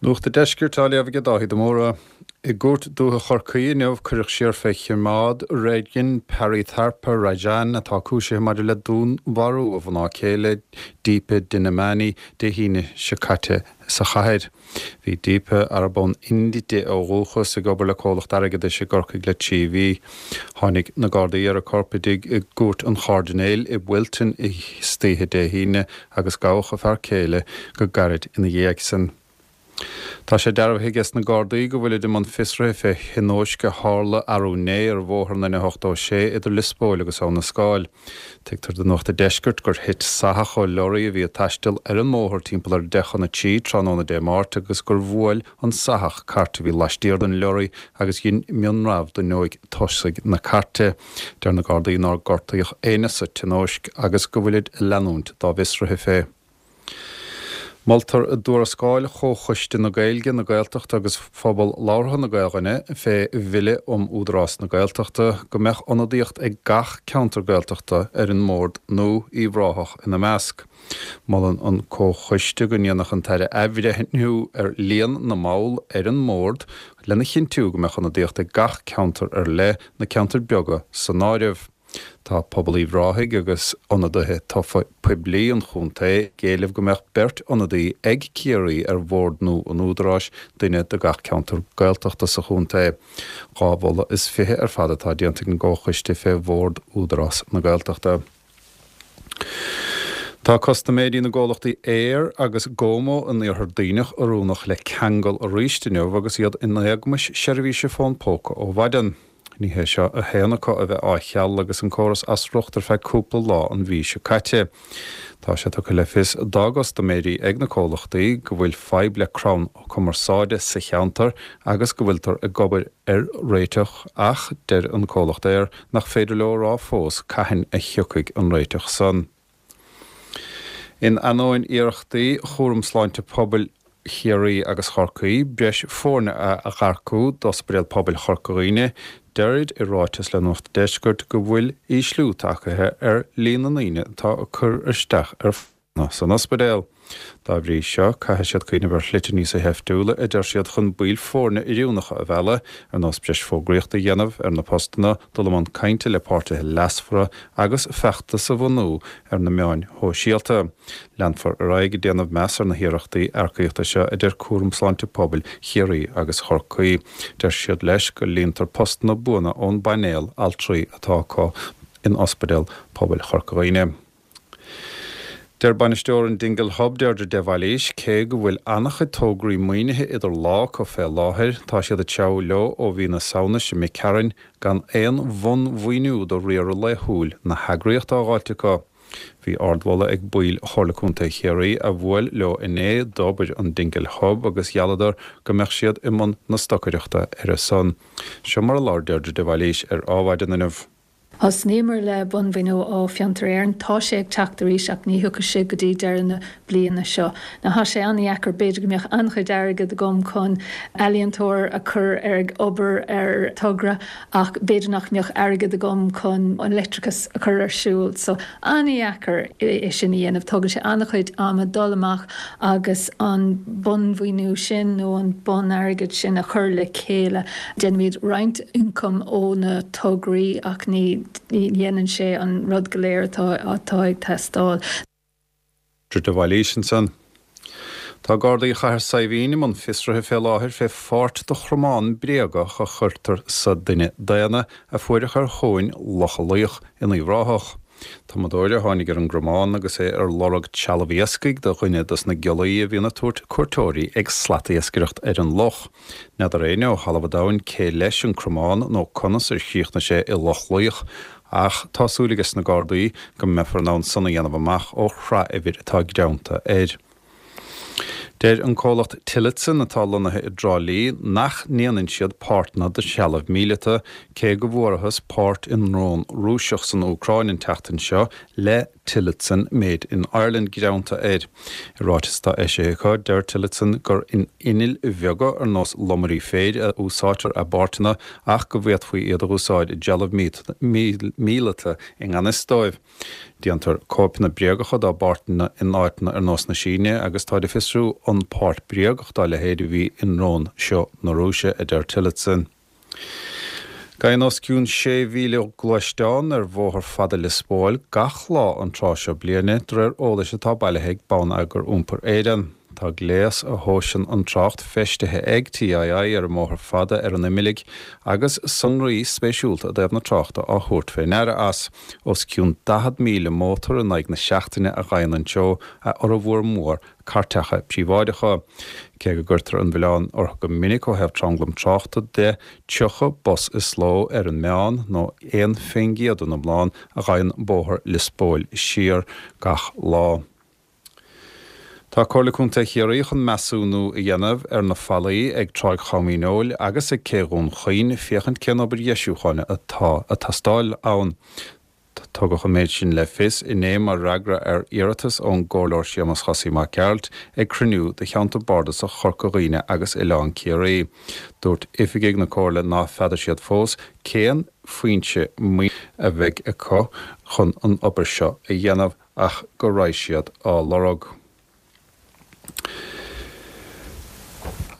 Nuacht an Deiscirt á léamh aige Dáithí de Mórdha. I gCúirt Dúiche Chorcaí inniu cuireadh siar fé choimeád Regin Paritharpa Rajan atá cúisithe maidir le dúnmharú a mhná céile Deepa Dinamani Dé hAoine seo caite sa chathair. Bhí Deepa, arb ón Ind di ó dhúchas, ag obair le comhlacht airgeadais i gCorcaigh le 3 mhí. Tháinig na Gardaí ar a corp i dtigh i gCúirt an Chairdinéil i Wilton istoíche Dé hAoine agus gabhadh a fear céile go gairid ina dhiaidh san. Tá sé dearbhaithe aige sna Gardaí go bhfuilid i mbun fiosraithe fé thionóisc a tharla arú inné ar bhóthar an N86 idir Lios Póil agus Abha na Scáil. Tuigtear do Nuacht a' Deiscirt gur thit soitheach ó leoraí a bhí ag taisteal ar an mbóthar timpeall ar 2:50 tráthnóna Dé Máirt agus gur bhuail an soitheach cairt a bhí laistiar den leoraí agus dhein mionramh d'fhuinneoig tosaigh na cairte. Deir na Gardaí nár gortaíodh éinne sa tionóisc agus go bhfuilid ag leanúint dá bhfiosruithe fé. Moltar i dtuarascáil Chomhchoiste na Gaeilge, na Gaeltachta agus Phobal Labhartha na Gaelainne fé Bhille um Údarás na Gaeltachta go mbeadh ionadaíocht ag gach ceantar Gaeltachta ar an mbord nó Uíbh Ráthach ina measc. Molann an Comhchoiste go ndéanfadh an tAire athbhreithniú ar líon na mball ar an mbord lena chinntiú go mbeadh ionadaíocht ag gach ceantar ar leith, na ceantair beaga san áireamh. Tá pobal Uíbh Ráthaigh agus ionadaithe tofa poiblí an chontae ag éileamh go mbeadh beirt ionadaí ag Ciarraí ar bhord nua an Údaráis, duine do gach ceantar Gaeltachta sa chontae. 2 mholadh is 20 ar fad atá déanta ag an gComhchoiste fé bhord Údarás na Gaeltachta. Tá custaiméirí na gcomhlachtaí Eir agus GoMo in Iarthar Duibhneach oiriúnach le ceangal arís inniu agus iad in éagmais seirbhíse fón póca ó mhaidin. Ní hé seo a haon acu a bheith á cheal agus an córas as riocht ar feadh cúpla lá an mhí seo caite. Tá sé tugtha le fios dá gcustaiméirí ag na comhlachtaí go bhfuil fadhb le crann cumarsáide sa cheantar agus go bhfuiltear ag obair ar réiteach ach deir an comhlacht Eir nach féidir leo a rá fós cathain a thiocfaidh an réiteach san. In ainneoin iarrachtaí Chúram Sláinte Pobail Chiarraí agus Chorcaí breis foirne a earcú d'Ospidéal Pobail Chorca Dhuibhne, deirid i ráiteas le Nuacht an Deiscirt go bhfuil ísliú tagtha ar líon na ndaoine atá ag cur isteach ar phostanna san ospidéal. Dá bhrí seo, caithfidh siad cuimhneamh ar shlite níos seiftiúla, a deir siad, chun baill foirne oiriúnacha a mhealladh, ar nós breis fógraíochta a dhéanamh ar na postanna, dul i mbun cainte le páirtithe leasmhara agus feachtas a bhunú ar na meáin shóisialta. Leanfar ar aghaidh ag déanamh meas ar na hiarrachtaí earcaíochta seo, a deir Cúram Sláinte Pobail Chiarraí agus Chorcaí. Deir siad leis go líontar postanna buana ón bpainéal altraí atá acu in Ospidéal Pobail Chorca Dhuibhne. Deir bainisteoir an Dingle Hub, Deirdre de Bhailís, cé go bhfuil an-chuid tograí maoinithe idir lámha acu fé láthair, tá siad ag treabhadh leo ó mhí na Samhna seo imigh tharainn gan aon bhunmhaoiniú do riaradh laethúil na heagraíochta á dh'fháilt acu. Bhí ardmholadh ag baill Chomhairle Contae Chiarraí a bhuail leo inné d'obair an Dingle Hub agus ghealladar go mbeadh siad i mbun na stocaireachta ar a son. Seo mar a labhair Deirdre de Bhailís ar Adhmhaidin inniu. Thosnaíomar le bunmhaoiniú ó Fiontar Éireann. Tá sé ag teacht arís ach ní thiocfaidh sé go dtí deireadh na bliana seo. Now tá sé an-dheacair, b'fhéidir go mbeadh an-chuid airgid agam chun ealaíontóir a chur ar ag obair ar togra ach b'fhéidir nach mbeadh airgead agam chun an leictreachas a chur ar siúl. So an-dheacair é sin a dhéanamh. Tógann sé an-chuid ama dul amach agus an bunmhaoiniú sin nó an bun-airgead sin a chur le chéile. Déanaimid roinnt ioncaim ó na tograí ach ní dhéanann sé an rud go léir atá ag teastáil. Deirdre de Bhailís ansan. Tá Gardaí Chathair Saidhbhín i mbun fiosraithe fé láthair fé pháirt de chromán bréagach a chuirtear sa duine daonna a fuaireadh ar thóin Locha Laoich in Uíbh Ráthach. Tumadóir a tháinig ar an gcromán agus é ar lorg trealamh iascaigh do dhuine dos na giollaí a bhíonn ag tabhairt cuairteoirí ag slatiascaireacht ar an loch. N'fheadar éinne ó thalamh an domhain cé leis an cromán nó conas ar chríochnaigh sé i Loch Laoich ach tá súil ages na Gardaí go mbeifear in ann san a dhéanamh amach ó shraith-uimhir atá greanta air. Deir an comhlacht Tillotson atá lonnaithe i dTrá Lí nach ndéanann siad páirteanna do threalamh míleata cé go bhfuarathas páirt i ndrón Rúiseach san Úcráin an tseachtain seo le. Tillotson Made in Ireland greanta air. I ráiteas atá eisithe acu, deir Tillotson gur in innill bheaga ar nós lomairí féir a úsáidtear a bpáirteanna ach go bhféadfaí iad a úsáid i dtrealamh míleata i ngan fhios dóibh. Déantar cóipeanna bréagacha dá bpáirteanna in áiteanna ar nós na Síne agus táid ag fiosrú an páirt bréagach dá leithéid a bhí i ndrón seo na Rúise, a deir Tillotson. Gabhann os cionn 6,000 gluaisteán ar bhóthar fada Lios Póil gach lá an tráth seo bliana, de réir eolais atá bailithe ag Bonneagar Iompair Éireann. Tá gléas a thomhaiseann an trácht feistithe ag TII ar an mBóthar Fada ar an Oimeallic agus sonraí spéisiúlta i dtaobh na tráchta á thabhairt fé ndeara as. Os cionn 40,000 mótar in aghaidh na seachtaine a ghabhann an treo, a fhormhór mór cairteacha príobháideacha. Cé go gcuirtear an milleán orthu go minic ó thaobh tranglam tráchta de, 30 bus is ló ar an meán, nó 1 fén gcéad den iomlán, a ghabhann bóthar Lios Póil siar gach lá. Tá Comhairle Contae Chiarraí chun measúnú a dhéanamh ar na fallaí ag Tráigh Chom Dhíneol agus ag Cé Dhún Chaoin féachaint cén obair dheisiúcháin atá ag teastáil ann. Tugadh an méid sin le fios inné mar fhreagra ar iarratas ón gComhairleoir Séamus Chosaí Mac Gearailt ag cruinniú de Cheantar Bardasach Chorca Dhuibhne agus Oileán Ciarraí. Dúirt oifigigh na Comhairle ná feadar siad fós cén foinse maoinithe a bheidh acu chun an obair seo a dhéanamh ach go raibh siad á lorg.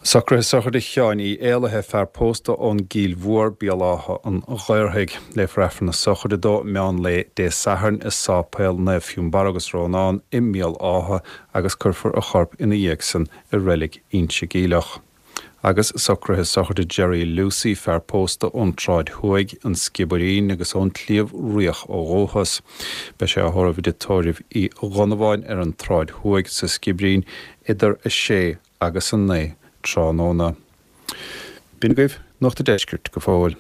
Socruithe sochraide Sheáin Uí Éalaithe, fear pósta ón gCill Mhór, Béal Átha an Ghaorthaidh. Léifear Aifreann na sochraide dó meán lae Dé Sathairn i Sáipéal Naomh Fionnbarra agus Rónán i mBéal Átha agus cuirfear a chorp ina dhiaidh san i Reilig Inse Geimhleach. Agus socruithe sochraide Jerry Lucey, fear pósta ón tSráid Thuaidh, An Sciobairín agus ón tSliabh Riach ó dhúchas. Beidh sé á thórramh i dtigh tórraimh Uí Dhonnabháin ar an tSráid Thuaidh sa Sciobairín idir 6 agus 9 tráthnóna. B'in agaibh Nuacht an Deiscirt go fóill.